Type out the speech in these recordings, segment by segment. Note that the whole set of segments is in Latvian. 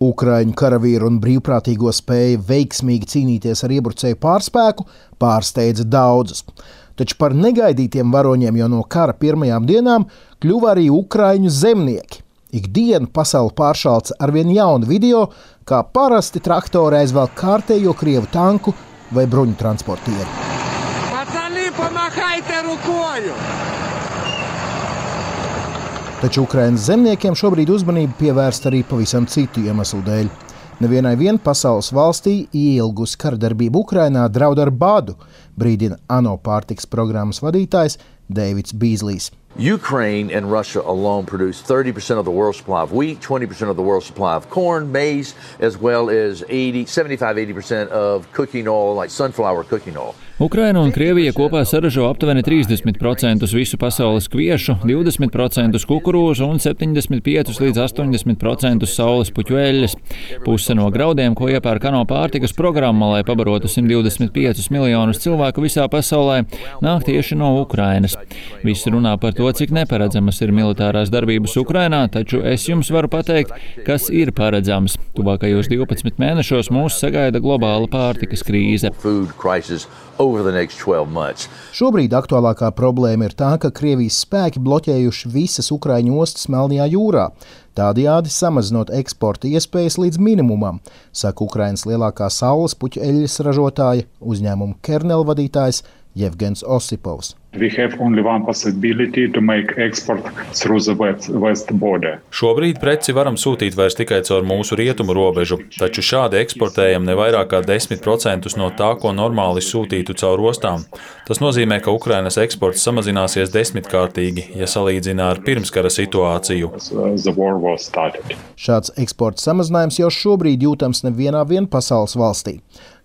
Ukraiņu karavīru un brīvprātīgo spēja veiksmīgi cīnīties ar iebrucēju pārspēku pārsteidza daudzus. Taču par negaidītiem varoņiem jau no kara pirmajām dienām kļuva arī ukraiņu zemnieki. Ikdienu pasauli pāršalca arvien jaunu video, kā parasti traktori aizvelk kārtējo krievu tanku vai bruņu transportieri. Taču Ukrainas zemniekiem šobrīd uzmanību pievērst arī pavisam citu iemeslu dēļ. Nevienai pasaules valstī ieilgusi karadarbība Ukrainā draud ar badu, brīdina ANO pārtikas programmas vadītājs Deivids Bīzlijs. Ukraine and Russia alone produce 30% of the world's supply of wheat, 20% of the world's supply of corn, maize, as well as 75–80% of cooking oil, like sunflower cooking oil. Ukraina un Krievija kopā saražo aptuveni 30% visu pasaules kviešu, 20% kukurūzu un 75–80% saules puķu eļļas. Puse no graudiem, ko iepērk ANO pārtikas programma, lai pabarotu 125 miljonus cilvēku visā pasaulē, nāk tieši no Ukrainas. Visi runā par to, cik neparedzamas ir militārās darbības Ukrainā, taču es jums varu pateikt, kas ir paredzams. Tuvākajos 12 mēnešos mūs sagaida globāla pārtikas krīze. Šobrīd aktuālākā problēma ir tā, ka Krievijas spēki bloķējuši visas Ukraiņu ostas Melnajā jūrā, tādējādi samazinot eksporta iespējas līdz minimumam, saka Ukrainas lielākā saules puķu eļļas ražotāja, uzņēmuma Kernel vadītājs Jevgens Osipovs. Šobrīd preci varam sūtīt vairs tikai caur mūsu rietumu robežu, taču šādi eksportējam ne vairāk kā 10% no tā, ko normāli sūtītu caur ostām. Tas nozīmē, ka Ukrainas eksports samazināsies 10-kārtīgi, ja salīdzina ar pirmskara situāciju. Šāds eksporta samazinājums jau šobrīd jūtams nevienā pasaules valstī.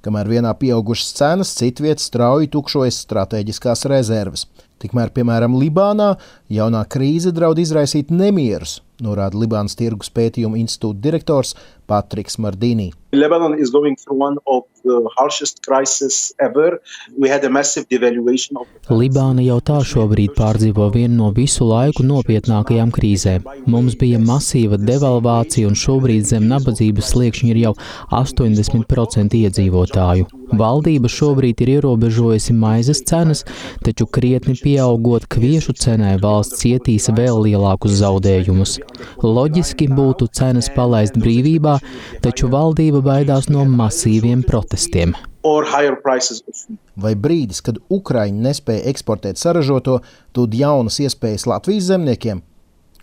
Kamēr vienā pieaugušas cenas, citviet strauji tukšojas stratēģiskās rezerves. Tikmēr, piemēram, Libānā jaunā krīze draud izraisīt nemierus, norāda Libānas tirgus pētījuma institūta direktors Patriks Mardīnī. Lebanon is going through one of the harshest crises ever. We had a massive devaluation of... Libāna jau tā šobrīd pārdzīvo vienu no visu laiku nopietnākajām krīzēm. Mums bija masīva devalvācija un šobrīd zem nabadzības sliekšņa ir jau 80% iedzīvotāju. Valdība šobrīd ir ierobežojusi maizes cenas, taču krietni pieaugot kviešu cenai valsts cietīs vēl lielākus zaudējumus. Loģiski būtu cenas palaist brīvībā, taču valdība baidās no masīviem protestiem. Vai brīdis, kad Ukraiņi nespēja eksportēt saražoto, dod jaunas iespējas Latvijas zemniekiem?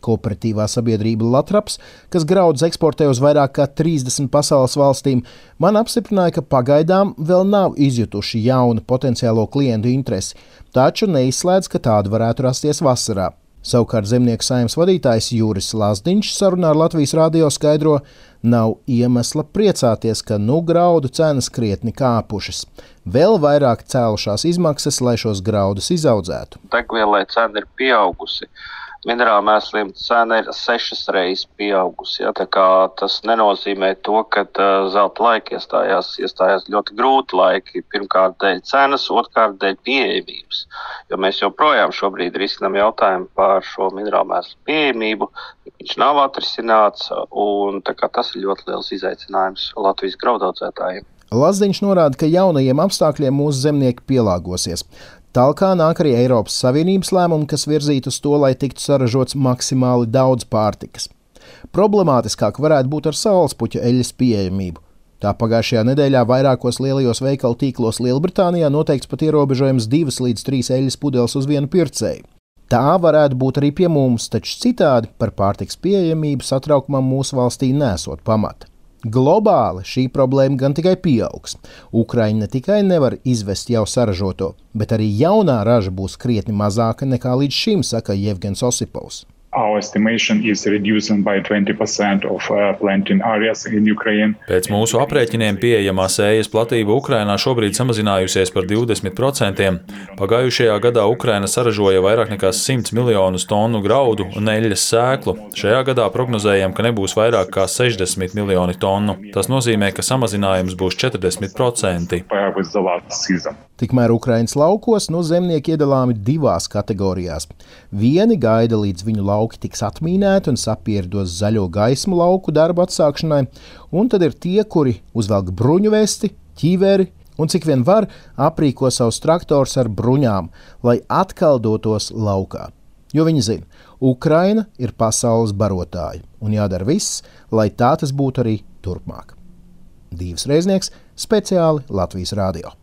Kooperatīvā sabiedrība Latraps, kas graudus eksportē uz vairāk kā 30 pasaules valstīm, man apstiprināja, ka pagaidām vēl nav izjutuši jaunu potenciālo klientu interesi, taču neizslēdz, ka tāda varētu rasties vasarā. Savukārt zemnieku saimnes vadītājs Juris Lazdiņš sarunā ar Latvijas radio skaidro, nav iemesla priecāties, ka graudu cenas krietni kāpušas. Vēl vairāk cēlušās izmaksas, lai šos graudus izaudzētu. Degvielai cena ir pieaugusi. Minerālu mēsliem cena ir 6 reizes pieaugusi. Ja, tā kā tas nenozīmē to, ka zelta laiki iestājās ļoti grūti laiki. Pirmkārt dēļ cenas, otrkārt dēļ pieejamības. Jo mēs joprojām šobrīd risinām jautājumu par šo minerālu mēslu pieejamību. Viņš nav atrisināts un tā kā tas ir ļoti liels izaicinājums Latvijas graudaudzētājiem. Lazdiņš norāda, ka jaunajiem apstākļiem mūsu zemnieki pielāgosies. Tālāk nāk arī Eiropas Savienības lēmumi, kas virzītu uz to, lai tiktu saražots maksimāli daudz pārtikas. Problemātiskāk varētu būt ar saulespuķu eļļas pieejamību. Tā pagājušajā nedēļā vairākos lielajos veikalu tīklos Lielbritānijā noteikts pat ierobežojums 2 līdz 3 eļļas pudeles uz vienu pircēju. Tā varētu būt arī pie mums, taču citādi par pārtikas pieejamību satraukumam mūsu valstī nesot pamata. Globāli šī problēma gan tikai pieaugs. Ukraiņa ne tikai nevar izvest jau saražoto, bet arī jaunā raža būs krietni mazāka nekā līdz šim, saka Jevgens Osipovs. Our estimation is reducing by 20% of planting areas in Ukraine. Pēc mūsu aprēķiniem pieejamā sējas platība Ukrainā šobrīd samazinājusies par 20%. Pagājušajā gadā Ukraina saražoja vairāk nekā 100 miljonus tonu graudu un eļļas sēklu. Šajā gadā prognozējam, ka nebūs vairāk kā 60 miljoni tonu. Tas nozīmē, ka samazinājums būs 40%. Tikmēr Ukrainas laukos zemnieki iedalāmi 2 kategorijās. Vieni gaida, līdz viņu lauki tiks atmīnēti un sapieri dos zaļo gaismu lauku darbu atsākšanai, un tad ir tie, kuri uzvelk bruņu vesti, ķiveri un cik vien var aprīko savus traktors ar bruņām, lai atkal dotos laukā. Jo viņi zina, Ukraina ir pasaules barotāja un jādara viss, lai tā tas būtu arī turpmāk. Dīvs Reiznieks, speciāli Latvijas radio.